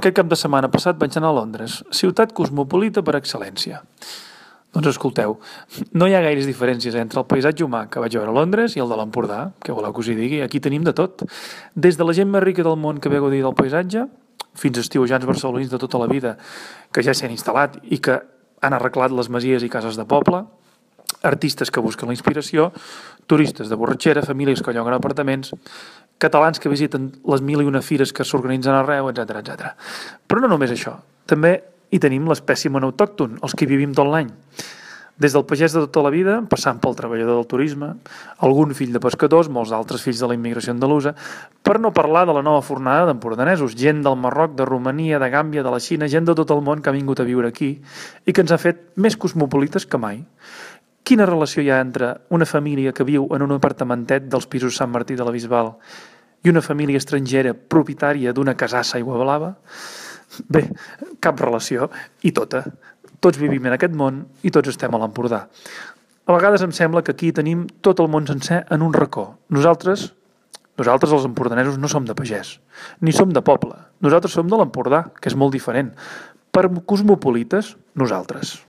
Aquest cap de setmana passat vaig anar a Londres, ciutat cosmopolita per excel·lència. Doncs escolteu, no hi ha gaires diferències entre el paisatge humà que vaig veure a Londres i el de l'Empordà, que voleu que us hi digui, aquí tenim de tot. Des de la gent més rica del món que ve a gaudir del paisatge, fins a estiuejants barcelonins de tota la vida que ja s'hi han instal·lat i que han arreglat les masies i cases de poble, artistes que busquen la inspiració, turistes de borratxera, famílies que lloguen apartaments, catalans que visiten les 1001 fires que s'organitzen arreu, etc. Però no només això, també hi tenim l'espècimen autòcton, els que hi vivim tot l'any. Des del pagès de tota la vida, passant pel treballador del turisme, algun fill de pescadors, molts altres fills de la immigració andalusa, per no parlar de la nova fornada d'empordanesos, gent del Marroc, de Romania, de Gàmbia, de la Xina, gent de tot el món que ha vingut a viure aquí i que ens ha fet més cosmopolites que mai. Quina relació hi ha entre una família que viu en un apartamentet dels pisos Sant Martí de la Bisbal i una família estrangera propietària d'una casassa a Aiguablava? Bé, cap relació, i tota. Tots vivim en aquest món i tots estem a l'Empordà. A vegades em sembla que aquí tenim tot el món sencer en un racó. Nosaltres els empordanesos no som de pagès, ni som de poble. Nosaltres som de l'Empordà, que és molt diferent. Per cosmopolites, nosaltres.